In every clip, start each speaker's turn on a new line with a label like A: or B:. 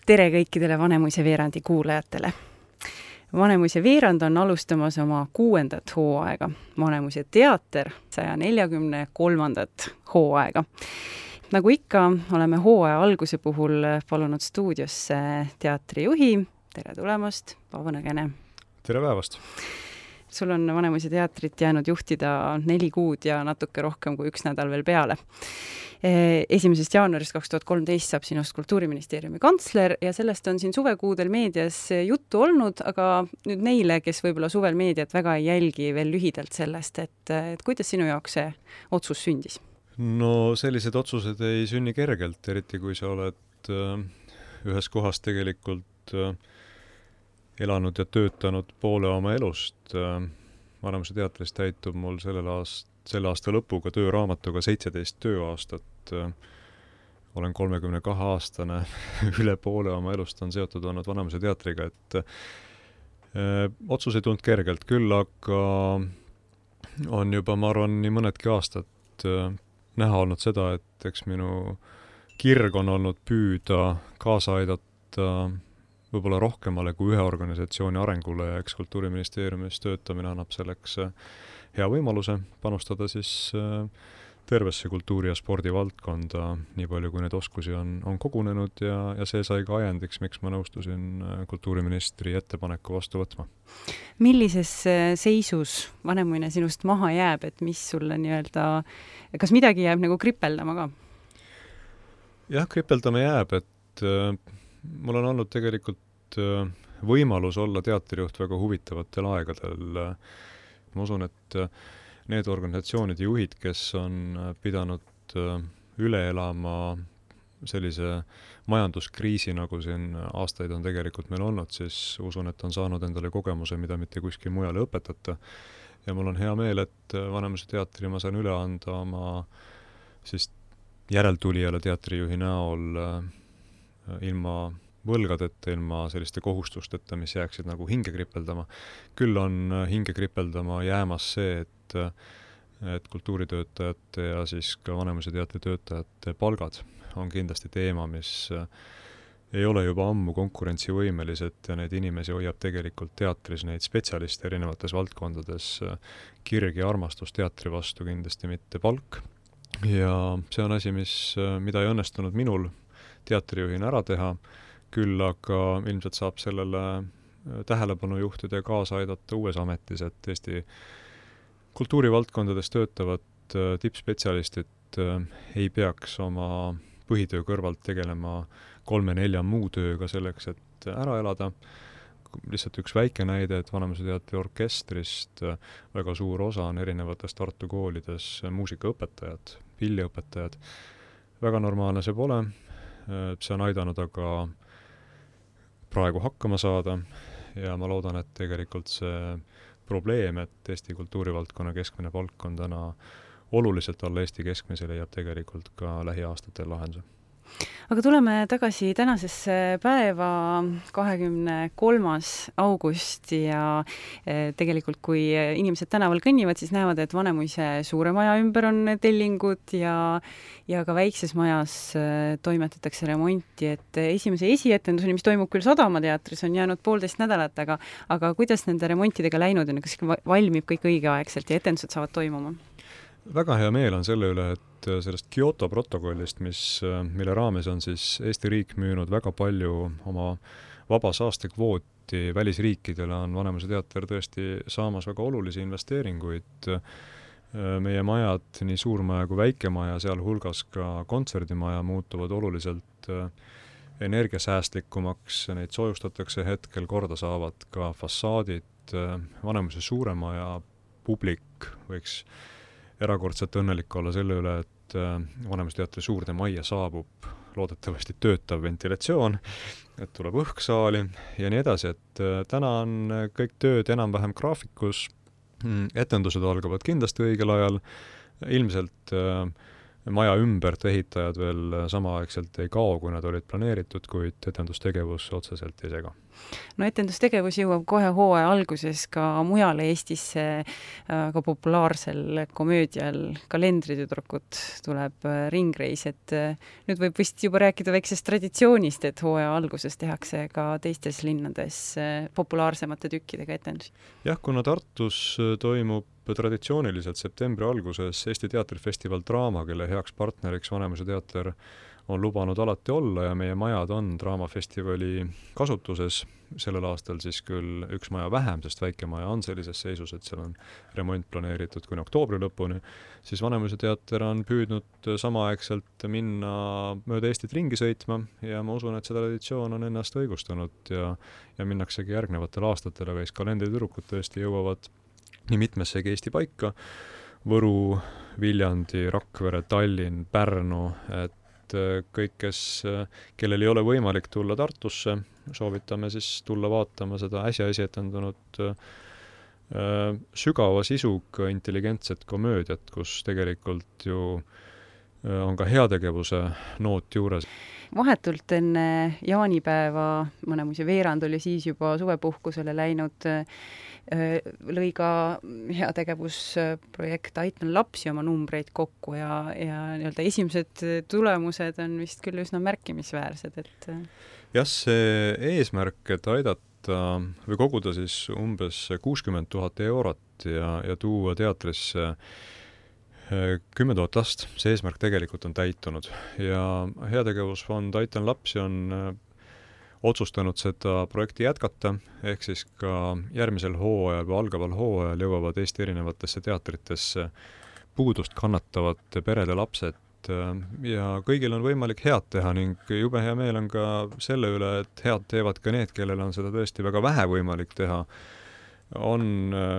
A: Tere kõikidele Vanemuise veerandi kuulajatele. Vanemuise veerand on alustamas oma 6. hooaega. Vanemuise teater 143. hooaega. Nagu ikka, oleme hooaja alguse puhul palunud stuudiosse teatrijuhi. Tere tulemast, Paavo Nõgene.
B: Tere päevast!
A: Sul on Vanemuise teatrit jäänud juhtida 4 kuud ja natuke rohkem kui 1 nädal veel peale. 1. jaanuarist 2013 saab sinust Kultuuriministeeriumi kantsler ja sellest on siin suvekuudel meedias juttu olnud, aga nüüd neile, kes võib-olla suvel meediat väga ei jälgi, veel lühidalt sellest, et kuidas sinu jaoks see otsus sündis?
B: No sellised otsused ei sünni kergelt, eriti kui sa oled ühes kohas tegelikult elanud ja töötanud poole oma elust. Vanemuise teatris täitub mul selle aasta lõpuga tööraamatuga 17 tööaastat. Olen 32-aastane, üle poole oma elust on seotud olnud Vanemuise teatriga, et otsus ei tulnud kergelt küll, aga on juba, ma arvan, nii mõnedki aastad näha olnud seda, et eks minu kirg on olnud püüda kaasa aidata võib-olla rohkemale kui ühe organisatsiooni arengule ja eks Kultuuriministeeriumis töötamine annab selleks hea võimaluse panustada siis tervesse kultuuri- ja spordivaldkonda, nii palju kui neid oskusi on kogunenud ja see sai ka ajendiks, miks ma nõustusin kultuuriministri ettepaneku vastu võtma.
A: Millises seisus Vanemuine sinust maha jääb, et mis sulle kas midagi jääb nagu kripeldama ka?
B: Jah, kripeldama jääb, et mul on olnud tegelikult võimalus olla teatrijuht väga huvitavatel aegadel. Ma usun, et need organisatsioonide juhid, kes on pidanud üle elama sellise majanduskriisi, nagu siin aastaid on tegelikult meil olnud, siis usun, et on saanud endale kogemuse, mida mitte kuskil mujal õpetata. Ja mul on hea meel, et Vanemuise teatri ma saan üle anda oma siis järeltulijale teatrijuhi näol ilma võlgadeta, ilma selliste kohustusteta, mis jääksid nagu hinge kripeldama. Küll on hinge kripeldama jäämas see, et kultuuritöötajate ja siis ka Vanemuise teatri töötajate palgad on kindlasti teema, mis ei ole juba ammu konkurentsivõimelised ja neid inimesi hoiab tegelikult teatris, neid spetsialiste erinevates valdkondades kirg ja armastus teatri vastu, kindlasti mitte palk. Ja see on asi, mida ei õnnestunud minul teatrijuhina ära teha, küll aga ilmselt saab sellele tähelepanu juhtida ja kaasa aidata uues ametis, et Eesti kultuurivaldkondades töötavad tippspetsialistid ei peaks oma põhitöö kõrvalt tegelema 3-4 muu tööga selleks, et ära elada. Lihtsalt üks väike näide, et Vanemuise teatri orkestrist väga suur osa on erinevates Tartu koolides muusikaõpetajad, pilliõpetajad. Väga normaalne see pole. See on aidanud aga praegu hakkama saada ja ma loodan, et tegelikult see probleem, et Eesti kultuurivaldkonna keskmine palk on täna oluliselt alla Eesti keskmise, leiab tegelikult ka lähiaastatel lahenduse.
A: Aga tuleme tagasi tänasesse päeva 23. august ja tegelikult kui inimesed tänaval kõnnivad, siis näevad, et Vanemuise suure maja ümber on tellingud ja ka väikses majas toimetatakse remonti, et esimese esietenduseni, mis toimub küll Sadama teatris, on jäänud 1,5 nädalat, aga kuidas nende remontidega läinud on, kas valmib kõik õigeaegselt ja etendused saavad toimuma?
B: Väga hea meel on selle üle, et sellest Kyoto protokollist, mille raames on siis Eesti riik müünud väga palju oma vaba saastekvooti välisriikidele, on Vanemuise teater tõesti saamas väga olulisi investeeringuid. Meie majad, nii suurmaja kui väikemaja, seal hulgas ka kontserdimaja muutuvad oluliselt energiasäästlikumaks, neid soojustatakse hetkel, korda saavad ka fassaadid. Vanemuise suuremaja publik võiks erakordselt õnnelik olla selle üle, et Vanemuise teatri suurde majja saabub loodetavasti töötav ventilatsioon, et tuleb õhk saali ja nii edasi, et täna on kõik tööd enam-vähem graafikus, etendused algavad kindlasti õigel ajal, ilmselt maja ümbert ehitajad veel samaaegselt ei kao, kui nad olid planeeritud, kuid etendustegevus otseselt ei sega.
A: no etendustegevus jõuab kohe hooaja alguses ka mujale Eestisse, ka populaarsel komöödial Kalendritüdrukud tuleb ringreis, et nüüd võib vist juba rääkida väiksest traditsioonist, et hooaja alguses tehakse ka teistes linnades populaarsemate tükkidega etendusi.
B: Jah, kuna Tartus toimub traditsiooniliselt septembri alguses Eesti teatrifestival Draama, kelle heaks partneriks Vanemuise teater on lubanud alati olla ja meie majad on Draamafestivali kasutuses, sellel aastal siis küll üks maja vähem, sest väike maja on sellises seisus, et seal on remont planeeritud kuni oktoobri lõpuni, siis Vanemuise teater on püüdnud samaaegselt minna mööda Eestit ringi sõitma ja ma usun, et see traditsioon on ennast õigustanud ja minnaksegi järgnevatel aastatel, aga Kalendritüdrukud tõesti jõuavad nii mitmessegi Eesti paika, Võru, Viljandi, Rakvere, Tallinn, Pärnu, et kõik, kellel ei ole võimalik tulla Tartusse, soovitame siis tulla vaatama seda äsja esietendunud sügava sisuga intelligentset komöödiat, kus tegelikult ju on ka heategevuse noot juures.
A: Vahetult enne jaanipäeva, Vanemuise veerand oli siis juba suvepuhkusele läinud, lõi ka heategevusprojekt Aitan lapsi oma numbreid kokku ja nii-öelda esimesed tulemused on vist küll üsna märkimisväärsed, et
B: jah, see eesmärk, et aidata või koguda siis umbes 60 000 eurot ja tuua teatrisse 10 000 last, see eesmärk tegelikult on täitunud ja heategevusfond Aitan lapsi on otsustanud seda projekti jätkata, ehk siis ka järgmisel hooajal või algaval hooajal jõuavad Eesti erinevatesse teatritesse puudust kannatavate perede lapsed ja kõigil on võimalik head teha ning jube hea meel on ka selle üle, et head teevad ka need, kellel on seda tõesti väga vähe võimalik teha. On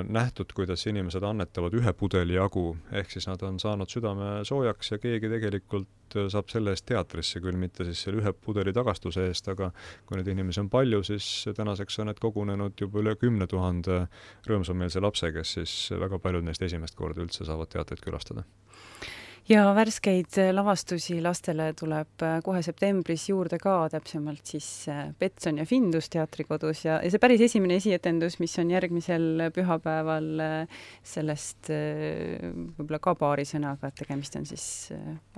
B: nähtud, kuidas inimesed annetavad ühe pudeli jagu, ehk siis nad on saanud südame soojaks ja keegi tegelikult saab selle eest teatrisse, küll mitte siis selle ühe pudeli tagastuse eest, aga kui neid inimesi on palju, siis tänaseks on need kogunenud juba üle 10 000 rõõmsameelse lapse, kes siis väga paljud neist esimest korda üldse saavad teatrit külastada.
A: Ja värskeid lavastusi lastele tuleb kohe septembris juurde ka, täpsemalt siis Petson ja Findus teatrikodus ja see päris esimene esietendus, mis on järgmisel pühapäeval, sellest võib-olla ka paari sõnaga, et tegemist on siis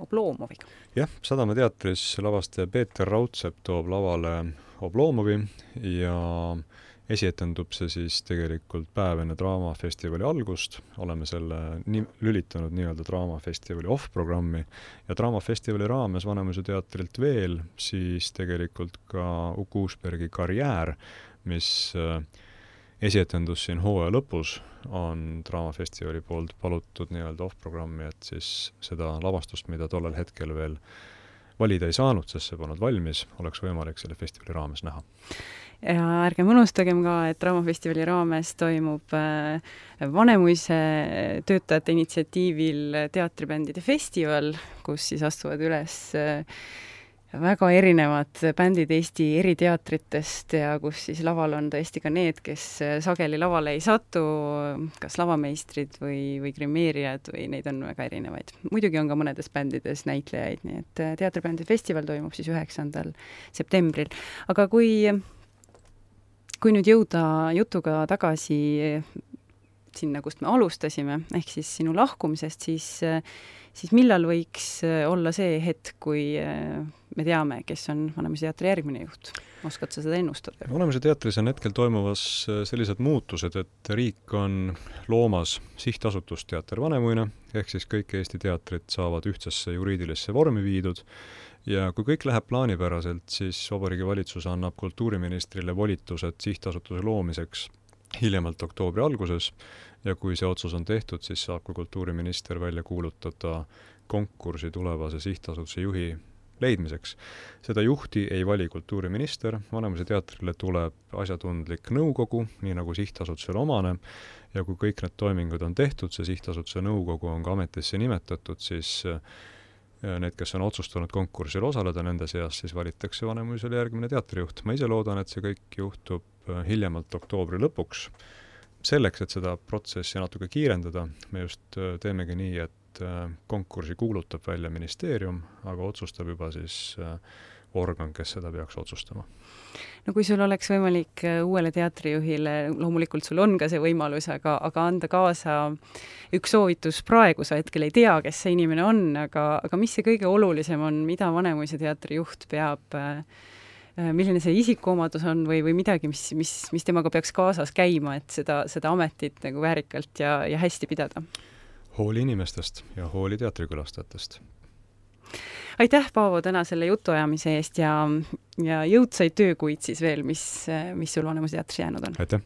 A: Obloomoviga.
B: Jah, Sadama teatris lavastaja Peeter Raudsepp toob lavale Obloomovi ja esietendub see siis tegelikult päev enne Draamafestivali algust, oleme selle lülitanud nii-öelda Draamafestivali off-programmi ja Draamafestivali raames Vanemuise teatrilt veel siis tegelikult ka Uku Uusbergi Karjäär, mis esietendus siin hooaja lõpus on Draamafestivali poolt palutud nii-öelda off-programmi, et siis seda lavastust, mida tollel hetkel veel valida ei saanud, sest see polnud valmis, oleks võimalik selle festivali raames näha.
A: Ja ärgem unustagem ka, et Draamafestivali raames toimub Vanemuise töötajate initsiatiivil teatribändide festival, kus siis astuvad üles väga erinevad bändid Eesti eri teatritest ja kus siis laval on tõesti ka need, kes sageli lavale ei satu, kas lavameistrid või grimeerijad või neid on väga erinevaid. Muidugi on ka mõnedes bändides näitlejaid, nii et teatribändide festival toimub siis 9. septembril. Aga kui nüüd jõuda jutuga tagasi sinna, kust me alustasime, ehk siis sinu lahkumisest, siis millal võiks olla see hetk, kui me teame, kes on Vanemuise teatri järgmine juht? Oskad sa seda ennustada?
B: Vanemuise teatris on hetkel toimuvas sellised muutused, et riik on loomas sihtasutust Teater Vanemuine, ehk siis kõik Eesti teatrid saavad ühtsesse juriidilisse vormi viidud ja kui kõik läheb plaanipäraselt, siis Vabariigi Valitsus annab kultuuriministrile volitused sihtasutuse loomiseks hiljemalt oktoobri alguses ja kui see otsus on tehtud, siis saab ka kultuuriminister välja kuulutada konkursi tulevase sihtasutuse juhi leidmiseks. Seda juhti ei vali kultuuriminister, Vanemuise teatrile tuleb asjatundlik nõukogu, nii nagu sihtasutuse omane, ja kui kõik need toimingud on tehtud, see sihtasutuse nõukogu on ka ametisse nimetatud, siis need, kes on otsustanud konkursil osaleda, nende seas siis valitakse Vanemuisele järgmine teatrijuht. Ma ise loodan, et see kõik juhtub hiljemalt oktoobri lõpuks. Selleks, et seda protsessi natuke kiirendada, me just teemegi nii, et konkursi kuulutab välja ministeerium, aga otsustab juba siis organ, kes seda peaks otsustama.
A: No kui sul oleks võimalik uuele teatrijuhile, loomulikult sul on ka see võimalus, aga anda kaasa üks soovitus praegu, sa hetkel ei tea, kes see inimene on, aga mis see kõige olulisem on, mida Vanemuise teatri juht peab, milline see isikuomadus on või midagi, mis temaga peaks kaasas käima, et seda ametit nagu väärikalt ja hästi pidada?
B: Hooli inimestest ja hooli teatrikülastajatest.
A: Aitäh, Paavo, täna selle jutuajamise eest ja jõudsaid töökuid siis veel, mis sul Vanemuise teatris jäänud on.
B: Aitäh!